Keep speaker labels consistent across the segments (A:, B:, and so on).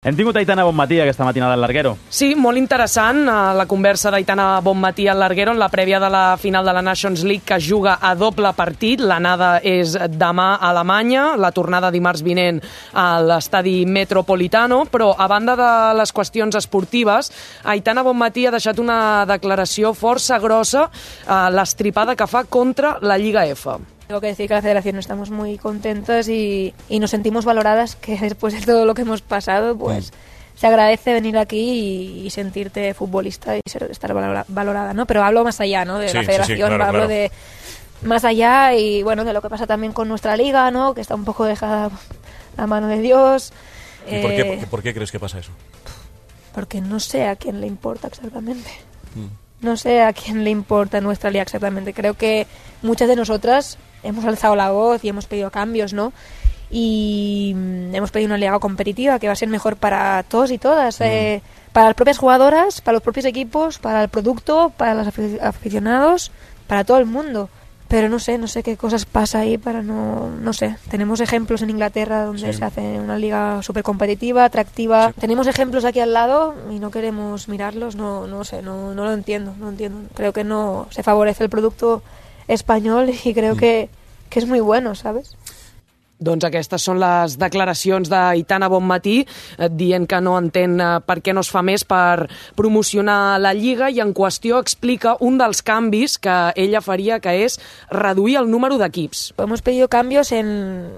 A: Hem tingut Aitana Bonmatí aquesta matinada al Larguero.
B: Sí, molt interessant la conversa d'Aitana Bonmatí al Larguero en la prèvia de la final de la Nations League, que es juga a doble partit. L'anada és demà a Alemanya, la tornada dimarts vinent a l'estadi Metropolitano, però a banda de les qüestions esportives, Aitana Bonmatí ha deixat una declaració força grossa a l'estripada que fa contra la Lliga F.
C: Tengo que decir que la Federación estamos muy contentas y nos sentimos valoradas, que después de todo lo que hemos pasado, pues se agradece venir aquí y sentirte futbolista y estar valorada, ¿no? Pero hablo más allá, ¿no? De la Federación, hablo de más allá y, bueno, de lo que pasa también con nuestra liga, ¿no? Que está un poco dejada a mano de Dios.
D: ¿Y por qué crees que pasa eso?
C: Porque no sé a quién le importa exactamente. No sé a quién le importa nuestra liga exactamente. Creo que muchas de nosotras hemos alzado la voz y hemos pedido cambios, ¿no? Y hemos pedido una liga competitiva que va a ser mejor para todos y todas, para las propias jugadoras, para los propios equipos, para el producto, para los aficionados, para todo el mundo. Pero no sé qué cosas pasa ahí para no sé. Tenemos ejemplos en Inglaterra donde se hace una liga súper competitiva, atractiva. Sí. Tenemos ejemplos aquí al lado y no queremos mirarlos, no sé, no lo entiendo, Creo que no se favorece el producto español y creo que és muy bueno, ¿sabes?
B: Doncs aquestes són les declaracions d'Aitana Bonmatí dient que no entén per què no es fa més per promocionar la Lliga, i en qüestió explica un dels canvis que ella faria, que és reduir el número d'equips.
C: Hemos pedido cambios en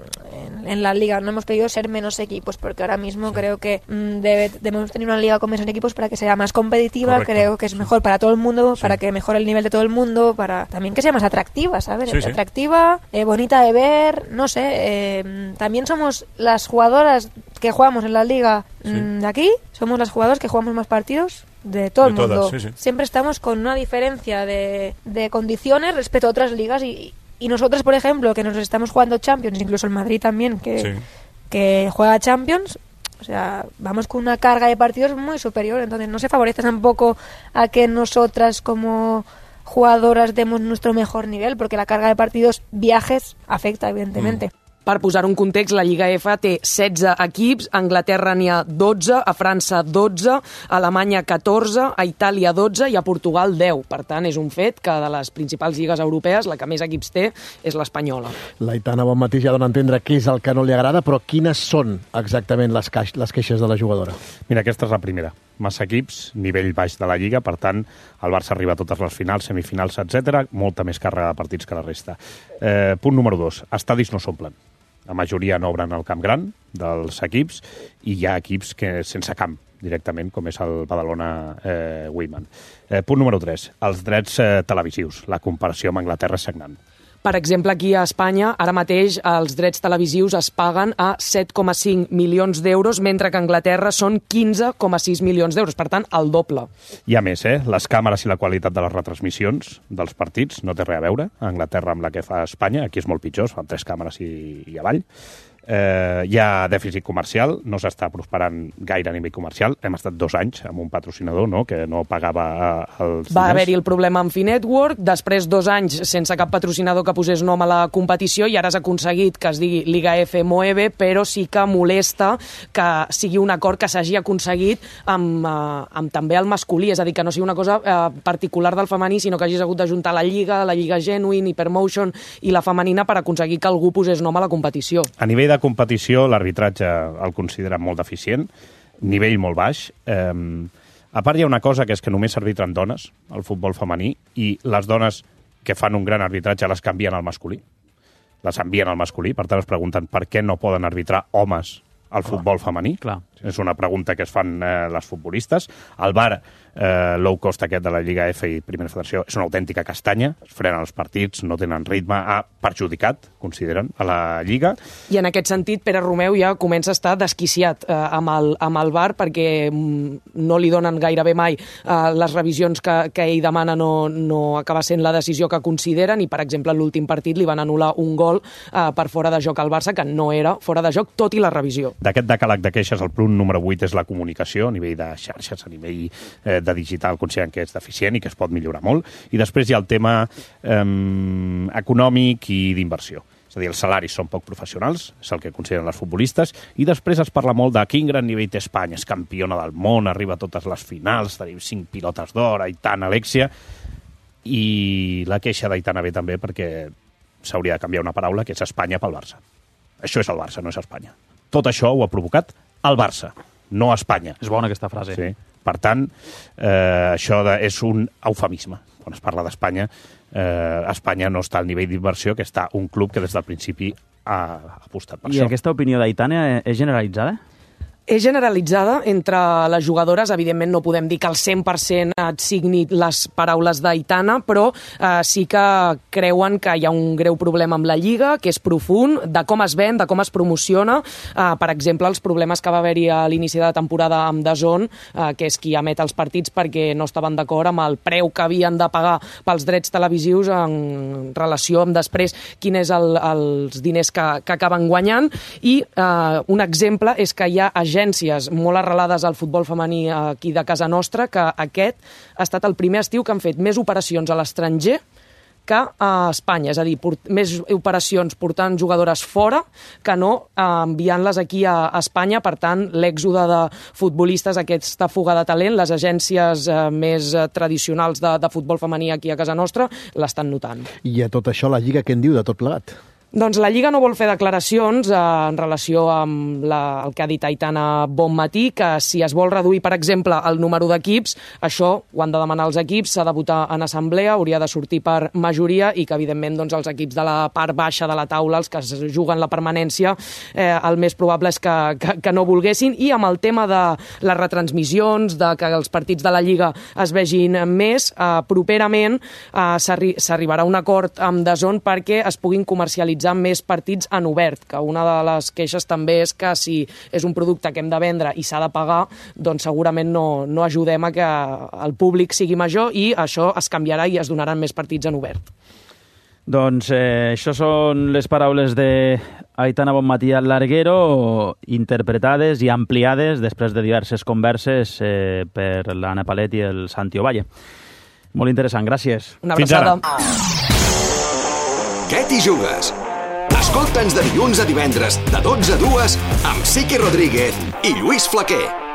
C: la Liga, no hemos pedido ser menos equipos, porque ahora mismo creo que debemos tener una Liga con menos equipos para que sea más competitiva. Correcto. Creo que es mejor para todo el mundo, para que mejore el nivel de todo el mundo, para también que sea más atractiva, ¿sabes? Atractiva, bonita de ver, no sé. También somos las jugadoras que jugamos en la liga de aquí, somos las jugadoras que jugamos más partidos de todo el mundo. Todas, Siempre estamos con una diferencia de condiciones respecto a otras ligas y nosotros, por ejemplo, que nos estamos jugando Champions, incluso el Madrid también, que juega Champions, o sea, vamos con una carga de partidos muy superior, entonces no se favorece tampoco a que nosotras como jugadoras demos nuestro mejor nivel, porque la carga de partidos, viajes, afecta evidentemente.
B: Per posar un context, la Lliga F té 16 equips, a Anglaterra n'hi ha 12, a França 12, a Alemanya 14, a Itàlia 12 i a Portugal 10. Per tant, és un fet que de les principals lligues europees la que més equips té és l'espanyola.
E: L'Aitana Bonmatí ja dona a entendre què és el que no li agrada, però quines són exactament les queixes de la jugadora?
F: Mira, aquesta és la primera. Massa equips, nivell baix de la Lliga, per tant, el Barça arriba a totes les finals, semifinals, etc. Molta més càrrega de partits que la resta. Punt número 2. Estadis no s'omplen. La majoria no obren el camp gran dels equips i hi ha equips que sense camp directament, com és el Badalona Women. Punt número 3. Els drets televisius. La comparació amb Anglaterra és sagnant.
B: Per exemple, aquí a Espanya, ara mateix els drets televisius es paguen a 7,5 milions d'euros, mentre que a Anglaterra són 15,6 milions d'euros, per tant, el doble.
F: Hi ha més, Les càmeres i la qualitat de les retransmissions dels partits no té res a veure a Anglaterra amb la que fa Espanya. Aquí és molt pitjor, fan 3 càmeres i avall. Hi ha dèficit comercial, no s'està prosperant gaire a nivell comercial. Hem estat 2 anys amb un patrocinador que no pagava els diners.
B: Va haver-hi el problema amb Finetwork, després 2 anys sense cap patrocinador que posés nom a la competició, i ara has aconseguit que es digui Liga F Moeve, però sí que molesta que sigui un acord que s'hagi aconseguit amb també el masculí, és a dir, que no sigui una cosa particular del femení, sinó que hagis hagut d'ajuntar la Lliga Genuine, Hypermotion i la femenina per aconseguir que algú posés nom a la competició.
F: A nivell de competició, l'arbitratge el considera molt deficient, nivell molt baix. A part hi ha una cosa, que és que només s'arbitren dones al futbol femení, i les dones que fan un gran arbitratge les canvien al masculí. Les envien al masculí, per tant es pregunten per què no poden arbitrar homes al futbol femení.
A: Clar.
F: És una pregunta que es fan les futbolistes. El VAR, low cost aquest de la Lliga F i Primera Federació, és una autèntica castanya. Es frenen els partits, no tenen ritme, ha perjudicat, consideren, a la Lliga.
B: I en aquest sentit, Pere Romeu ja comença a estar desquiciat amb el VAR, perquè no li donen gairebé mai les revisions que ell demana, no acaba sent la decisió que consideren, i, per exemple, en l'últim partit li van anul·lar un gol per fora de joc al Barça, que no era fora de joc, tot i la revisió.
F: D'aquest decàleg de queixes, el punt número 8 és la comunicació, a nivell de xarxes, a nivell de digital, consideren que és deficient i que es pot millorar molt. I després hi ha el tema econòmic i d'inversió. És a dir, els salaris són poc professionals, és el que consideren els futbolistes, i després es parla molt de quin gran nivell té Espanya, és campiona del món, arriba a totes les finals, tenim 5 pilotes d'or, Aitana, Alexia, i la queixa d'Aitana ve també perquè s'hauria de canviar una paraula, que és Espanya pel Barça. Això és el Barça, no és Espanya. Tot això ho ha provocat el Barça, no Espanya.
A: És bona aquesta frase.
F: Sí. Per tant, això és un eufemisme. Quan es parla d'Espanya, Espanya no està al nivell d'inversió que està un club que des del principi ha apostat per això.
A: I aquesta opinió d'Aitana és generalitzada?
B: És generalitzada entre les jugadores. Evidentment no podem dir que al 100% et signi les paraules d'Aitana, però sí que creuen que hi ha un greu problema amb la Lliga, que és profund, de com es ven, de com es promociona. Per exemple, els problemes que va haver-hi a l'inici de la temporada amb DAZN, que és qui emet els partits perquè no estaven d'acord amb el preu que havien de pagar pels drets televisius en relació amb després quin és els diners que acaben guanyant. I un exemple és que hi ha agències molt arrelades al futbol femení aquí de casa nostra, que aquest ha estat el primer estiu que han fet més operacions a l'estranger que a Espanya, és a dir, més operacions portant jugadores fora que no enviant-les aquí a Espanya. Per tant, l'èxode de futbolistes, aquesta fuga de talent, les agències més tradicionals de futbol femení aquí a casa nostra l'estan notant.
E: I a tot això la Lliga què en diu de tot plegat?
B: Doncs la Lliga no vol fer declaracions en relació amb el que ha dit Aitana Bonmatí, que si es vol reduir, per exemple, el número d'equips, això ho han de demanar els equips, s'ha de votar en assemblea, hauria de sortir per majoria i que, evidentment, doncs, els equips de la part baixa de la taula, els que es juguen la permanència, el més probable és que no volguessin. I amb el tema de les retransmissions, de que els partits de la Lliga es vegin més, properament s'arribarà a un acord amb DAZN perquè es puguin comercialitzar més partits en obert, que una de les queixes també és que si és un producte que hem de vendre i s'ha de pagar, doncs segurament no ajudem a que el públic sigui major i això es canviarà i es donaran més partits en obert.
A: Doncs això són les paraules d'Aitana Bonmatí al Larguero, interpretades i ampliades després de diverses converses per l'Anna Palet i el Santi Ovalle. Molt interessant, gràcies.
B: Una abraçada.
G: Què t'hi jugues? Escolta'ns de dilluns a divendres, de 12 a 2, amb Siqui Rodríguez i Lluís Flaquer.